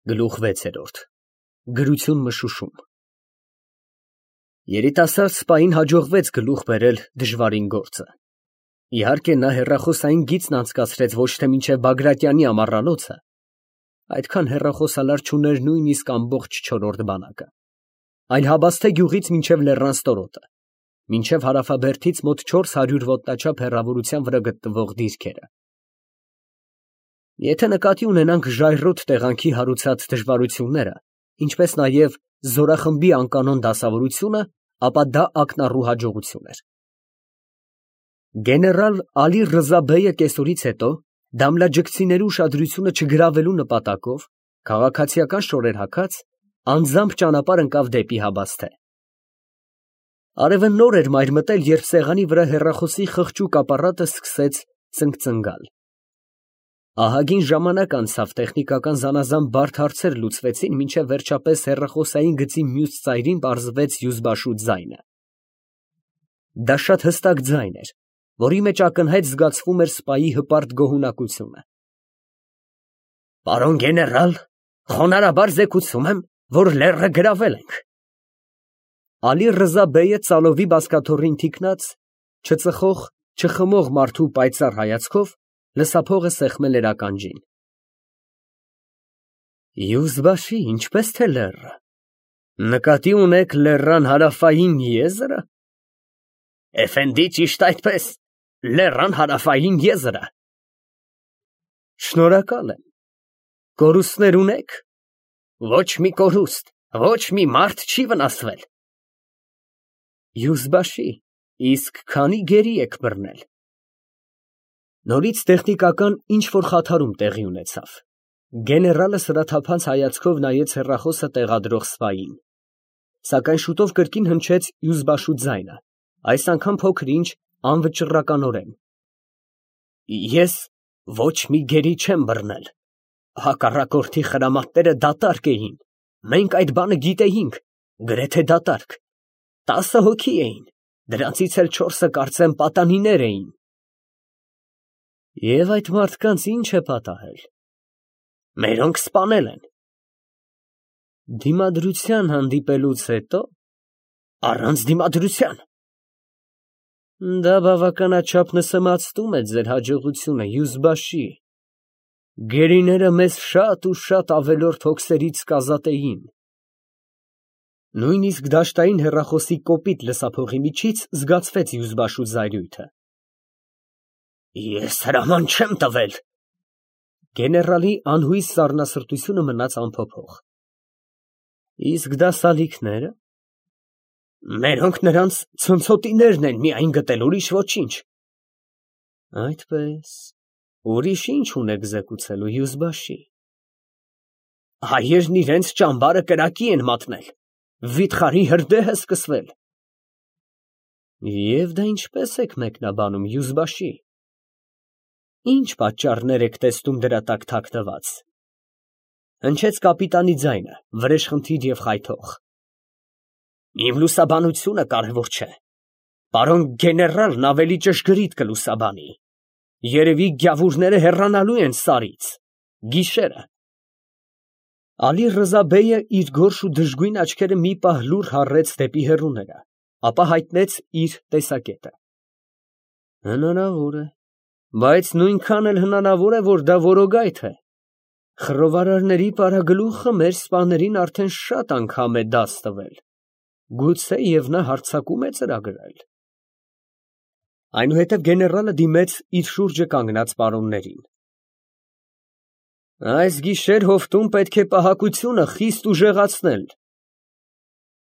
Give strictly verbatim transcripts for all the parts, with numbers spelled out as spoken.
Գլուխ վեցերորդ Գրություն մշուշում Երիտասարդ սպային հաջողվեց գլուխ բերել դժվարին գործը։ Իհարկե նա հեռախոսային գիծն անցկացրեց ոչ թե մինչև Բագրատյանի ամառանոցը, այդքան հեռախոսալար չուներ նույնիսկ ամբողջ չորրորդ բանակը, այլ Հաբաստե գյուղից մինչև Լեռան ստորոտը, մինչև Հարավաբերդից մոտ չորս հարյուր ոտնաչափ հեռավորության վրա գտնվող դիրքերը։ Եթե նկատի ունենանք ժայռոտ տեղանքի հարուցած դժվարությունները, ինչպես նաև զորախմբի անկանոն դասավորությունը, ապա դա ակնառու հաջողություն էր։ Գեներալ Ալի Ռզա բեյը կեսօրից հետո, դամլաջգցիների ուշադրությունը չգրավելու նպատակով, քաղաքացիական շորեր հագած, անձամբ ճանապարհ ընկավ դեպի Հաբաստե։ Արևը նոր էր մայր մտել, երբ սեղանի վրա հեռախոսի խղճուկ ապարատը սկսեց ծնգծնգալ։ Ահագին ժամանակ անցավ, տեխնիկական զանազան բարդ հարցեր լուծվեցին, մինչև վերջապես հեռախոսային գծի մյուս ծայրին պարզվեց Յուզբաշու ձայնը։ Դա շատ հստակ ձայն էր, որի մեջ ակնհայտ զգացվում էր սպայի հպարտ գոհունակությունը։ Պարոն գեներալ, խոնարհաբար զեկուցում եմ, որ լեռը գրավել ենք։ Ալի Ռզա բեյը ծալովի բազկաթոռին թիկնած, չծխող, չխմող մարդու պայծառ հայացքով լսափողը սեղմել էր ականջին։ Յուզբաշի, ինչպես թե լեռը, նկատի ունեք լեռան հարավային եզրը։ Էֆենդի, ճիշտ այդպես, լեռան հարավային եզրը։ Շնորհակալ եմ։ Կորուստներ ունեք։ Ոչ մի կորուստ, ոչ մի մարդ չի վնասվել։ Յուզբաշի, իսկ քանի գերի եք բռնել։ Նորից տեխնիկական ինչ-որ խաթարում տեղի ունեցավ։ Գեներալը սրաթափանց հայացքով նայեց հեռախոսը տեղադրող սպային, սակայն շուտով կրկին հնչեց Յուզբաշու ձայնը, այս անգամ փոքր-ինչ անվճռականորեն։ Ես ոչ մի գերի չեմ բռնել։ Հակառակորդի խրամատները դատարկ էին։ Մենք այդ բանը գիտեինք, գրեթե դատարկ։ Տասը հոգի էին, դրանցից էլ չորսը կարծեմ պատանիներ էին։ Եվ այդ մարդկանց ինչ է պատահել։ Մերոնք սպանել են։ Դիմադրության հանդիպելուց հետո։ Առանց դիմադրության։ Դա բավականաչափ նսեմացնում է ձեր հաջողությունը, Յուզբաշի։ Գերիները մեզ շատ ու շատ ավելորդ հոգսերից կազատեին։ Նույնիսկ դաշտային հեռախոսի կոպիտ լսափողի միջից զգացվեց Յուզբաշու զայրույթը։ Ես հրաման չեմ տվել։ Գեներալի անհույս սառնասրտությունը մնաց անփոփոխ։ Իսկ դասալիքները։ Մերոնք նրանց ցնցոտիներն են միայն գտել, ուրիշ ոչինչ։ Այդպես, ուրիշ ինչ ունեք զեկուցելու, Յուզբաշի։ Հայերն իրենց ճամբարը կրակի են մատնել, վիթխարի հրդեհ է սկսվել։ Եվ դա ինչպես եք մեկնաբանում, Յուզբաշի։ Ինչ պատճառներ եք տեսնում դրա տակ թաքնված։ Հնչեց կապիտանի ձայնը, վրեժխնդիր և խայթող։ Իմ լուսաբանությունը կարևոր չէ։ Պարոն գեներալն ավելի ճշգրիտ կլուսաբանի։ Երևի գյավուրները հեռանալու են Սարից։ Գիշերը։ Ալի Ռզա բեյը իր գորշ ու դժգույն աչքերը մի պահ լուռ հառեց դեպի հեռուները, ապա հայտնեց իր տեսակետը։ Հնարավոր է, բայց նույնքան էլ հնարավոր է, որ դա որոգայթ է։ Խռովարարների պարագլուխը մեր սպաներին արդեն շատ անգամ է դաս տվել։ Գուցե և նա հարձակում է ծրագրել։ Այնուհետև գեներալը դիմեց իր շուրջը կանգնած պարոններին։ Այս գիշեր հովտում պետք է պահակությունը խիստ ուժեղացնել։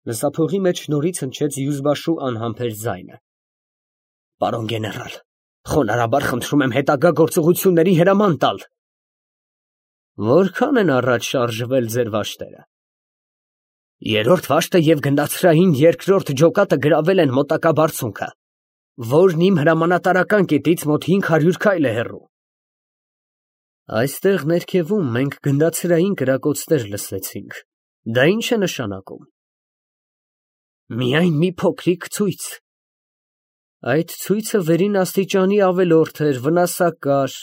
Լսափողի մեջ նորից հնչեց Յուզբաշու անհամբեր ձայնը։ Պարոն գեներալ, խոնարհաբար խնդրում եմ հետագա գործողությունների հրաման տալ։ Որքան են առաջ շարժվել ձեր վաշտերը։ Երրորդ վաշտը և գնդացրային երկրորդ ջոկատը գրավել են մոտակա բարձունքը, որն իմ հրամանատարական կետից մոտ հինգ հարյուր քայլ է հեռու։ Այստեղ ներքևում մենք գնդացրային կրակոցներ լսեցինք։ Դա ինչ է նշանակում։ Միայն մի փոքրիկ ցույց։ Այդ ցույցը վերին աստիճանի ավելորդ էր, վնասակար։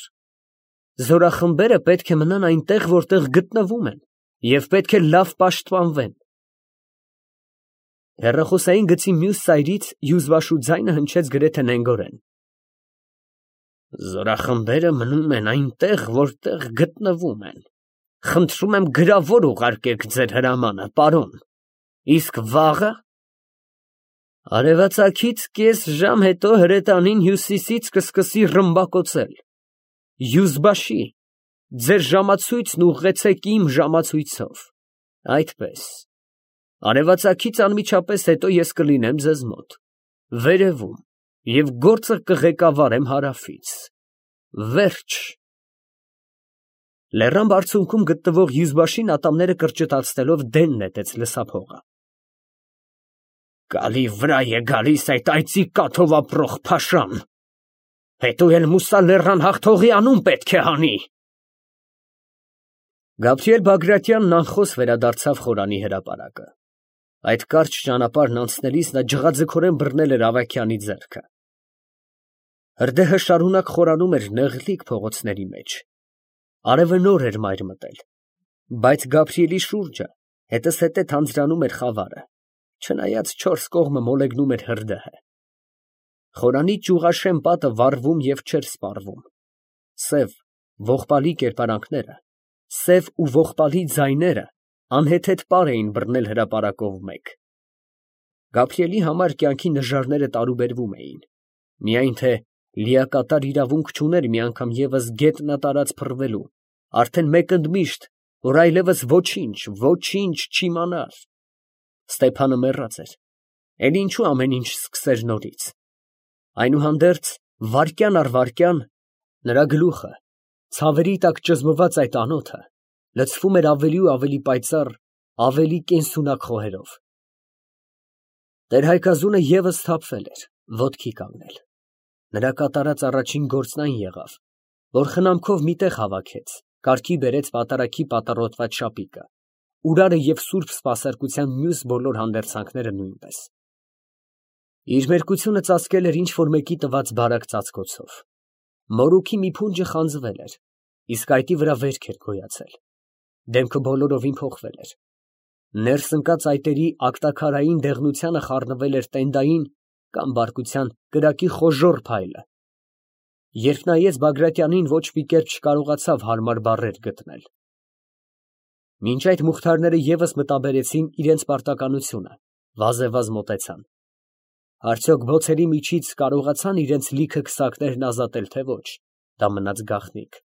Զորախմբերը պետք է մնան այնտեղ, որտեղ գտնվում են, և պետք է լավ պաշտպանվեն։ Հեռախոսային գծի մյուս ծայրից հյուզվաշու ձայնը հնչեց գրեթե նենգորեն. «Զորախմբերը մնում են այնտեղ, որտեղ գտնվում են. խնդրում եմ գրավոր ուղարկեք ձեր հրամանը, պարոն, իսկ վաղը…» Արևածագից կես ժամ հետո հրետանին հյուսիսից կսկսի ռմբակոծել։ Հյուզբաշի, ձեր ժամացույցն ուղղեցեք իմ ժամացույցով, այդպես, արևածագից անմիջապես հետո ես կլինեմ ձեզ մոտ, վերևում, և գործը կղեկավարեմ հարավից, վերջ։ Լեռան բարձունքում գտնվող հյուզբաշին ատամները կրճտացնելով դեն նետեց լսափողը։ Գալի վրա է գալիս այդ այծի կաթով ապրող փաշան, հետո էլ Մուսա լեռան հաղթողի անուն պետք է հանի։ Գաբրիել Բագրատյանն անխոս վերադարձավ խորանի հրապարակը։ Այդ կարճ ճանապարհն անցնելիս նա ջղաձգորեն բռնել էր Ավագյանի ձեռքը։ Հրդեհը շարունակ խորանում էր նեղլիկ փողոցների մեջ։ Արևը նոր էր մայր մտել, բայց Գաբրիելի շուրջը հետզհետե թանձրանում էր խավարը, չնայած չորս կողմը մոլեգնում էր հրդեհը։ Խորանի ճյուղաշեն պատը վառվում և չէր սպառվում։ Սև, ողբալի կերպարանքները, սև ու ողբալի ձայները անհեթեթ պար էին բռնել հրապարակով մեկ։ Գաբրիելի համար կյանքի նժարները տարուբերվում էին, միայն թե լիակատար իրավունք չուներ մի անգամ ևս գետնատարած փռվելու, արդեն մեկ ընդմիշտ, որ այլևս ոչինչ, ոչինչ չիմանար։ Ստեփանը մեռած էր, էլ ինչու ամեն ինչ սկսեր նորից։ Այնուհանդերձ, վայրկյան առ վայրկյան, նրա գլուխը, ցավերի տակ ճզմված այդ անոթը, լցվում էր ավելի ու ավելի պայծառ, ավելի կենսունակ խոհերով։ Տեր֊Հայկազունը ևս սթափվել էր, ոտքի կանգնել։ Նրա կատարած առաջին գործն այն եղավ, որ խնամքով մի տեղ հավաքեց, կարգի բերեց պատարագի պատառոտված շապիկը,ուրարը և սուրբ սպասարկության մյուս բոլոր հանդերձանքները նույնպես։ Իր մերկությունը ծածկել էր ինչ֊որ մեկի տված բարակ ծածկոցով։ Մորուքի մի փունջը խանձվել էր, իսկ այտի վրա վերք էր գոյացել։ Դեմքը բոլորովին փոխվել էր։ Ներս ընկած այտերի ակտաքարային դեղնությանը խառնվել էր տենդային կամ բարկության կրակի խոժոռ փայլը։ Երբ նայեց Բագրատյանին, ոչ մի կերպ չկարողացավ հարմար բառեր գտնել։ Մինչ այդ մուխթարները ևս մտաբերեցին իրենց պարտականությունը, վազեվազ մոտեցան։ Արդյոք բոցերի միջից կարողացան իրենց լիքը քսակներն ազատել, թե ոչ, դա մնաց գաղտնիք։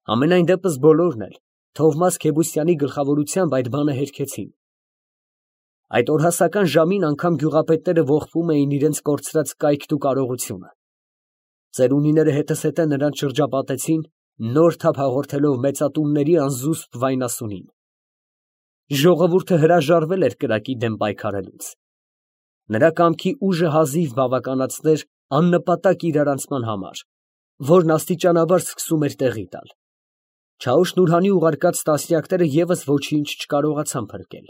Համենայն դեպս բոլորն էլ Թովմաս Քեբուսյանի գլխավորությամբ այդ բանը հերքեցին։ Այդ օրհասական ժամին անգամ գյուղապետները ողբում էին իրենց կորցրած կայքն ու կարողությունը։ Ծերունիները հետզհետե նրանց շրջապատեցին, նոր թափ հաղորդելով մեծատունների անզուսպ վայնասունին։ Ժողովուրդը հրաժարվել էր կրակի դեմ պայքարելուց։ Նրա կամքի ուժը հազիվ բավականացներ աննպատակ իրարանցման համար, որն աստիճանաբար սկսում էր տեղի տալ։ Չաուշ֊Նուրհանի ուղարկած տասնյակները ևս ոչինչ չկարողացան փրկել։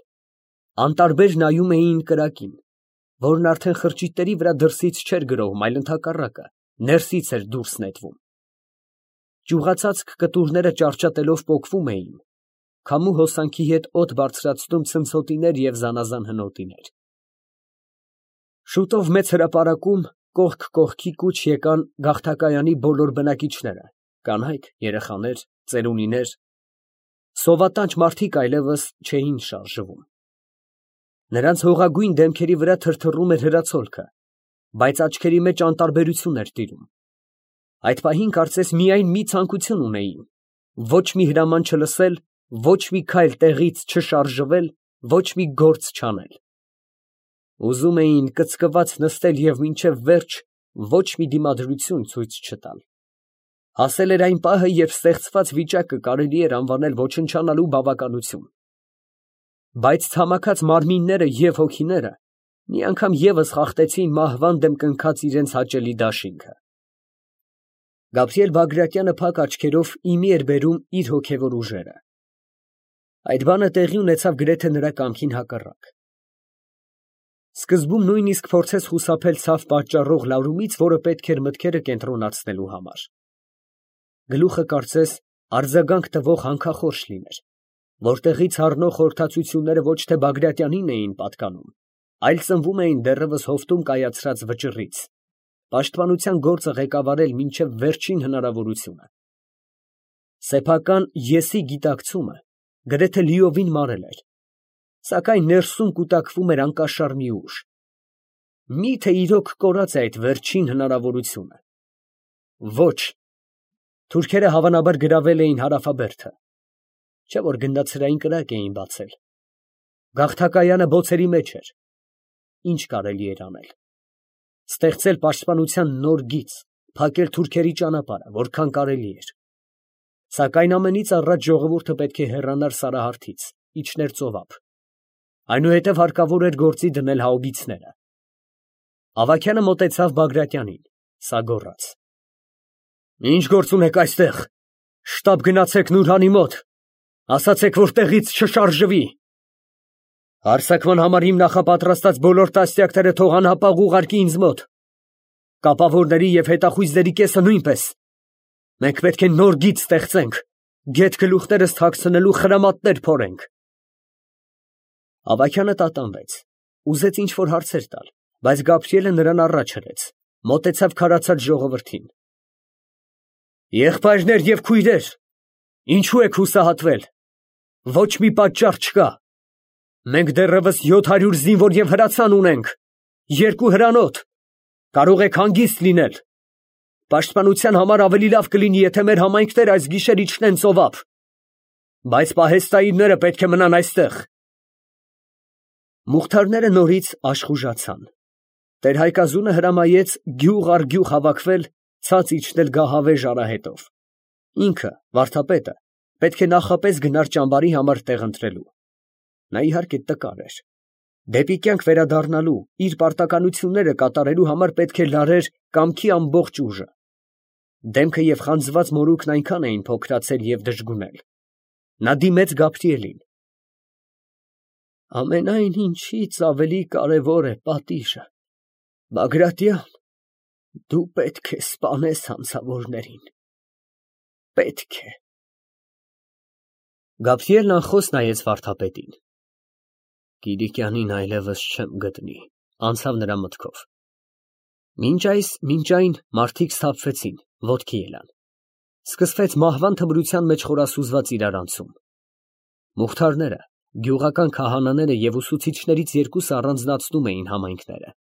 Անտարբեր նայում էին կրակին, որն արդեն խրճիթների վրա դրսից չէր գրոհում, այլ ընդհակառակը, ներսից էր դուրս նետվում։ Ճյուղացածք կտուրները ճարճատելով պոկվում էին, քամու հոսանքի հետ օդ բարձրացնում ցնցոտիներ և զանազան հնոտիներ։ Շուտով մեծ հրապարակում կողք կողքի կուչ եկան գաղթակայանի բոլոր բնակիչները, կանայք, երեխաներ, ծերունիներ։ Սովատանչ մարդիկ այլևս չէին շարժվում։ Նրանց հողագույն դեմքերի վրա թրթռում էր հրացոլքը, բայց աչքերի մեջ անտարբերություն էր տիրում։ Այդ պահին կարծես միայն մի ցանկություն ունեին. ոչ մի հրաման չլսել, ոչ մի քայլ տեղից չշարժվել, ոչ մի գործ չանել։ Ուզում էին կծկված նստել և մինչև վերջ ոչ մի դիմադրություն ցույց չտալ։ Հասել էր այն պահը, երբ ստեղծված վիճակը կարելի էր անվանել ոչնչանալու բավականություն։ Բայց ցամաքած մարմինները և հոգիները մի անգամ ևս խախտեցին մահվան դեմ կնքած իրենց հաճելի դաշինքը։ Գաբրիել Բագրատյանը փակ աչքերով իմի էր բերում իր հոգևոր ուժերը։ Այդ բանը տեղի ունեցավ գրեթե նրա կամքին հակառակ։ Սկզբում նույնիսկ փորձեց խուսափել ցավ պատճառող լարումից, որը պետք էր մտքերը կենտրոնացնելու համար։ Գլուխը կարծես արձագանք տվող հանքախորշ լիներ, որտեղից առնող խորհրդածությունները ոչ թե Բագրատյանին էին պատկանում, այլ ծնվում էին դեռևս հովտում կայացրած վճռից, պաշտպանության գործը ղեկավարել մինչև վերջին հնարավորությունը։ Սեփական եսի գիտակցումը գրեթե լիովին մարել էր, սակայն ներսում կուտակվում էր անկաշար մի ուժ։ Մի՞թե իրոք կորած է այդ վերջին հնարավորությունը։ Ոչ, թուրքերը հավանաբար գրավել էին Հարավաբերդը, չէ՞ որ գնդացրային կրակ էին բացել։ Գաղթակայանը բոցերի մեջ էր։ Ինչ կարելի էր անել։ Ստեղծել պաշտպանության նոր գիծ, փակել թուրքերի ճանապարհը, որքան կարելի էր։ Սակայն ամենից առաջ ժողովուրդը պետք է հեռանար Սարահարթից, իջներ ծովափ։ Այնուհետև հարկավոր էր գործի դնել հաուբիցները։ Ավագյանը մոտեցավ Բագրատյանին, սա գոռաց. «Ինչ գործ ունեք այստեղ, շտապ գնացեք Նուրհանի մոտ, ասացեք, որ տեղից չշարժվի։ Հարձակման համար իմ նախապատրաստած բոլոր տասնյակները թող անհապաղ ուղարկի ինձ մոտ, կապավորների և հետախույզների կեսը նույնպես։ Մենք պետք է նոր գիծ ստեղծենք, գեթ գլուխներս թաքցնելու խրամատներ փորենք»։ Ավագյանը տատանվեց, ուզեց ինչ֊որ հարցեր տալ, բայց Գաբրիելը նրան առաջ հրեց, մոտեցավ քարացած ժողովրդին. «Եղբայրներ և քույրեր, ինչո՞ւ եք հուսահատվել, ոչ մի պատճառ չկա։ Մենք դեռևս յոթ հարյուր զինվոր և հրացան ունենք, երկու հրանոթ, կարող եք հանգիստ լինել։ Պաշտպանության համար ավելի լավ կլինի, եթե մեր համայնքները այս գիշեր իջնեն ծովափ, բայց պահեստայինները պետք է մնան այստեղ»։ Մուղթարները նորից աշխուժացան։ Տեր֊Հայկազունը հրամայեց գյուղ առ գյուղ հավաքվել, ցած իջնել գահավեժ արահետով։ Ինքը, վարդապետը, պետք է նախապես գնար ճամբարի համար տեղ ընտրելու։ Նա իհարկե տկար էր։ Դեպի կյանք վերադառնալու, իր պարտականությունները կատարելու համար պետք է լարեր կամքի ամբողջ ուժը։ Դեմքը և խանձված մորուքն այնքան էին փոքրացել և դժգունել։ Նա դիմեց Գաբրիելին. «Ամենայն ինչից ավելի կարևոր է պատիժը, Բագրատյան, դու պետք է սպանես հանցավորներին, պետք է»։ Գաբրիելն անխոս նայեց վարդապետին։ «Կիլիկյանին այլևս չեմ գտնի», անցավ նրա մտքով։ Մինչ այս, մինչ այն մարդիկ սթափվեցին, ոտքի ելան։ Սկսվեց մահվան թմրության մեջ խորասուզված իրարանցում։ Մուղթարները, գյուղական քահանաները և ուսուցիչներից երկուսը առանձնացնում էին համայնքները։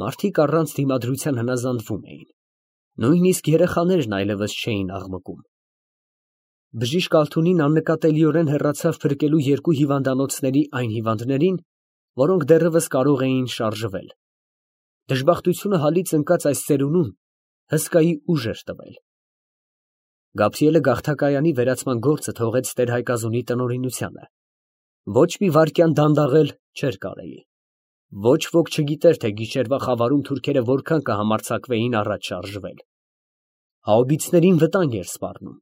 Մարդիկ առանց դիմադրության հնազանդվում էին։ Նույնիսկ երեխաներն այլևս չէին աղմկում։ Բժիշկ Ալթունին աննկատելիորեն հեռացավ փրկելու երկու հիվանդանոցների այն հիվանդներին, որոնք դեռևս կարող էին շարժվել։ Դժբախտությունը հալից ընկած այս ծերունուն հսկայի ուժ էր տվել։ Գաբրիելը գաղթակայանի վերացման գործը թողեց Տեր-Հայկազունի տնօրինությանը։ Ոչ մի վայրկյան դանդաղել չէր կարելի։ Ոչ ոք չգիտեր, թե գիշերվա խավարում թուրքերը որքան կհամարձակվեին առաջ շարժվել։ Հաուբիցներին վտանգ էր սպառնում։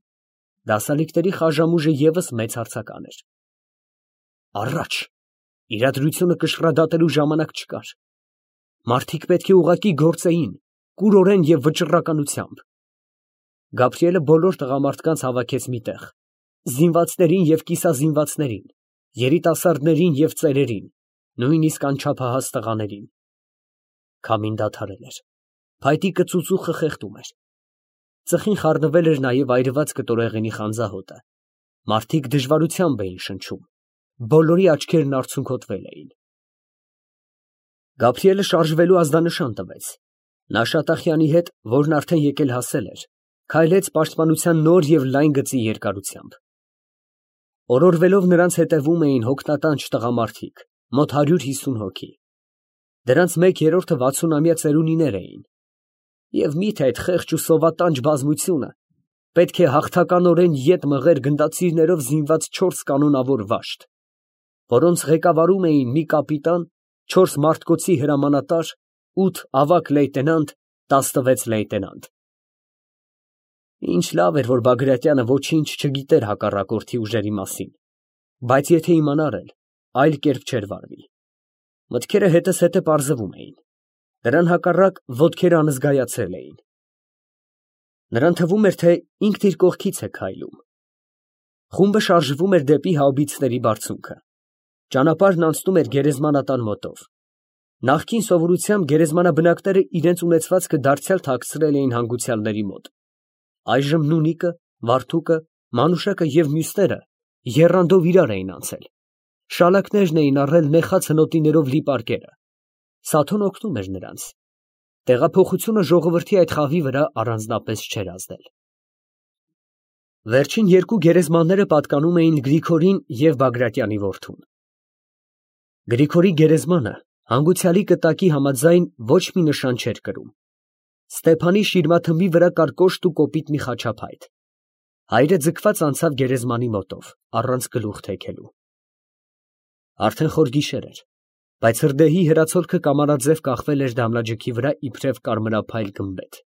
Դասալիկների խաժամուժը ևս մեծ հարցական էր։ Առաջ, իրադրությունը կշռադատելու ժամանակ չկար։ Մարդիկ պետք է ուղղակի գործեին, կուրորեն և վճռականությամբ։ Գաբրիելը բոլոր տղամարդկանց հավաքեց մի տեղ, զինվածներին և կիսազինվածներին, երիտասարդներին և ծերերին, նույնիսկ անչափահաս տղաներին։ Քամին դադարել էր, փայտի կծուծուխը խեղդում էր։ Ծխին խառնվել էր նաև այրված կտորեղենի խանձահոտը։ Մարդիկ դժվարությամբ էին շնչում, բոլորի աչքերն արցունքոտվել էին։ Գաբրիելը շարժվելու ազդանշան տվեց։ Նա Շատախյանի հետ, որն արդեն եկել հասել էր, քայլեց պաշտպանության նոր և լայն գծի երկարությամբ։ Օրորվելով նրանց հետևում էին հոգնատանչ տղամարդիկ, մոտ հարյուր հիսուն հոգի։ Դրանց մեկ երրորդը վաթսունամյա ծերունիներ էին։ Եվ մի՞թե այդ խեղճ ու սովատանչ բազմությունը պետք է հաղթականորեն ետ մղեր գնդացիրներով զինված չորս կանոնավոր վաշտ, որոնց ղեկավարում էին մի կապիտան, չորս մարտկոցի հրամանատար, ութ ավագ լեյտենանտ, տասնվեց լեյտենանտ։ Ինչ լավ էր, որ Բագրատյանը ոչինչ չգիտեր հակառակորդի ուժերի մասին, բայց եթե իմանար էլ, այլ կերպ չէր վարվի։ Մտքերը հետզհետե պարզվում էին։ Դրան հակառակ ոտքերը անզգայացել էին։ Նրան թվում էր, թե ինքն իր կողքից է քայլում։ Խումբը շարժվում էր դեպի հաուբիցների բարձունքը։ Ճանապարհն անցնում էր գերեզմանատան մոտով։ Նախկին սովորությամբ գերեզմանաբնակները իրենց ունեցվածքը դարձյալ թաքցրել էին հանգուցյալների մոտ։ Այժմ Նունիկը, Վարդուկը, Մանուշակը և մյուսները եռանդով իրար էին անցել։ Շալակներն էին առել նեխած հնոտիներով լի պարկերը։ Սաթոն օգնում էր նրանց։ Տեղափոխությունը ժողովրդի այդ խավի վրա առանձնապես չէր ազդել։ Վերջին երկու գերեզմանները պատկանում էին Գրիգորին և Բագրատյանի որդուն։ Գրիգորի գերեզմանը հանգուցյալի կտակի համաձայն ոչ մի նշան չէր կրում։ Ստեփանի շիրմաթմբի վրա կար կոշտ ու կոպիտ մի խաչափայտ։ Հայրը ձգված անցավ գերեզմանի մոտով, առանց գլուխ թեքելու։ Արդեն խոր գիշեր էր, բայց հրդեհի հրացոլքը կամարաձև կախվել էր դամլաջքի վրա իբրև կարմրափայլ գմբեթ։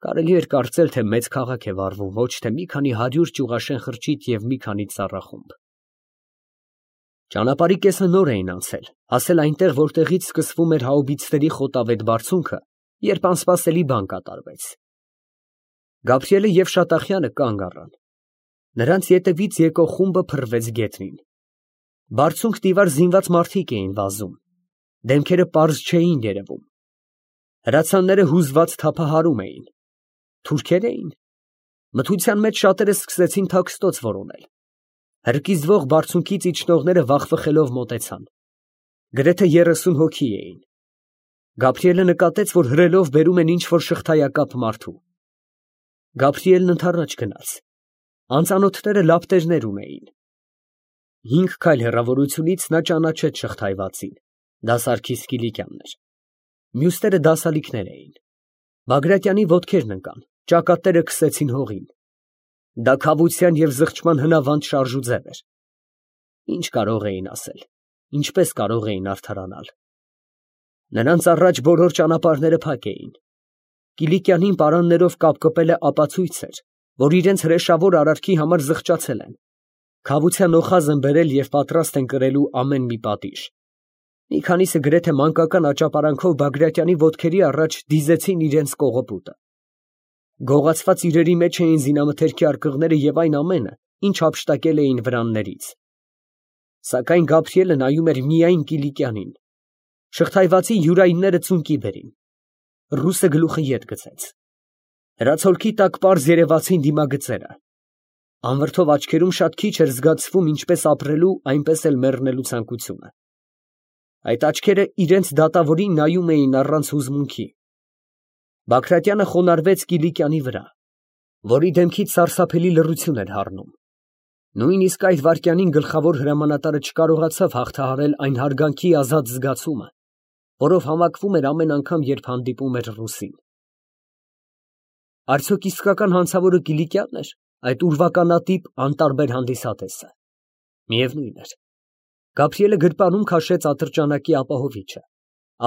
Կարելի էր կարծել, թե մեծ քաղաք է վառվում, ոչ թե մի քանի հարյուր ճյուղաշեն խրճիթ և մի քանի ծառախումբ։ Ճանապարհի կեսը նոր էին անցել, հասել այնտեղ, որտեղից սկսվում էր հաուբիցների խոտավետ բարձունքը, երբ անսպասելի բան կատարվեց։ Գաբրիելը և Շատախյանը կանգ առան։ Նրանց ետևից եկող խումբը փռվեց գետնին։ Բարձունք զինված մարդիկ էին վազում։ Դեմքերը պարզ չէին երևում։ Հրացանները հուզված թափահարում էին։ Թուրքե՞ր էին։ Մթության մեջ շատերը սկսեցին թաքստոց որոնել։ Հրկիզվող բարձունքից իջնողները վախվխելով մոտեցան։ Գրեթե երեսուն հոգի էին։ Գաբրիելը նկատեց, որ հրելով բերում են ինչ֊որ շղթայակապ մարդու։ Գաբրիելն ընդառաջ գնաց։ Անծանոթները լապտերներ ունեին։ Հինգ քայլ հեռավորությունից նա ճանաչեց շղթայվածին։ Դա Սարգիս Կիլիկյանն էր։ Մյուսները դասալիկներ էին։ Բագրատյանի ոտքերն ընկան, ճակատները քսեցին հողին։ Դա քավության և զղջման հնավանդ շարժուձև էր։ Ինչ կարող էին ասել, ինչպես կարող էին արդարանալ։ Նրանց առաջ բոլոր ճանապարհները փակ էին։ Կիլիկյանին պարաններով կապկպելը ապացույց էր, որ իրենց հրեշավոր արարքի համար զղջացել են, քավության օխազ են բերել և պատրաստ են կրելու ամեն մի պատիժ։ Մի քանիսը գրեթե մանկական աճապարանքով Բագրատյանի ոտքերի առաջ դիզեցին իրենց կողոպուտը։ Գողացված իրերի մեջ էին զինամթերքի արկղները և այն ամենը, ինչ հափշտակել էին վրաններից։ Սակայն Գաբրիելը նայում էր միայն Կիլիկյանին։ Շղթայվածի յուրայինները ծունկի բերին։ Ռուսը գլուխը ետ գցեց։ Հրացոլքի տակ պարզ երևացին դիմագծերը։ Անվրդով աչքերում շատ քիչ էր զգացվում ինչպես ապրելու, այնպես էլ մեռնելու ցանկությունը։ Այդ աչքերը իրենց դատավորին նայում էին առանց հուզմունքի։ Բագրատյանը խոնարհվեց Կիլիկյանի վրա, որի դեմքից սարսափելի լռություն էր հառնում։ Նույնիսկ այդ վայրկյանին գլխավոր հրամանատարը չկարողացավ հաղթահարել այն հարգանքի ազատ զգացումը, որով համակվում էր ամեն անգամ, երբ հանդիպում էր ռուսին։ Արդյոք իսկական հանցավորը Կիլիկյանն էր, այդ ուրվականատիպ, անտարբեր հանդիսատեսը։ Միևնույն էր։ Գաբրիելը գրպանում քաշեց ատրճանակի ապահովիչը,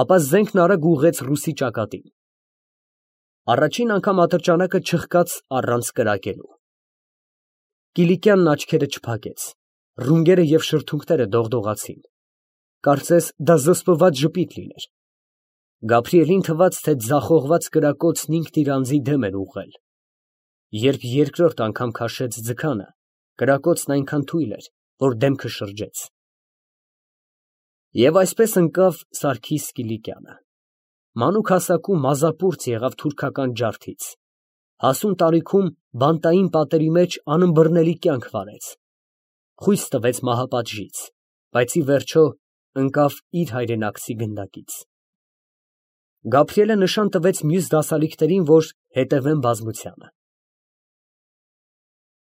ապա զենքն արագ ուղղեց ռուսի ճակատին։ Առաջին անգամ ատրճանակը չխկաց առանց կրակելու։ Կիլիկյանն աչքերը չփակեց, ռունգերը և շրթունքները դողդողացին։ Կարծես դա զսպված ժպիտ լիներ։ Գաբրիելին թվաց, թե ձախողված կրակոցն ինքն իր անձի դեմ էր ուղղել։ Երբ երկրորդ անգամ քաշեց ձգանը, կրակոցն այնքան թույլ էր, որ դեմքը շրջեց։ Եվ այսպես ընկավ Սարգիս Կիլիկյանը։ Մանուկ հասակում մազապուրծ եղավ թուրքական ջարդից։ Հասուն տարիքում բանտային պատերի մեջ անըմբռնելի կյանք վարեց։ Խույս տվեց մահապատժից, բայց ի վերջո ընկավ իր հայրենակցի գնդակից։ Գաբրիելը նշան տվեց մյուս դասալիկներին, որ հետևեն բազմությանը։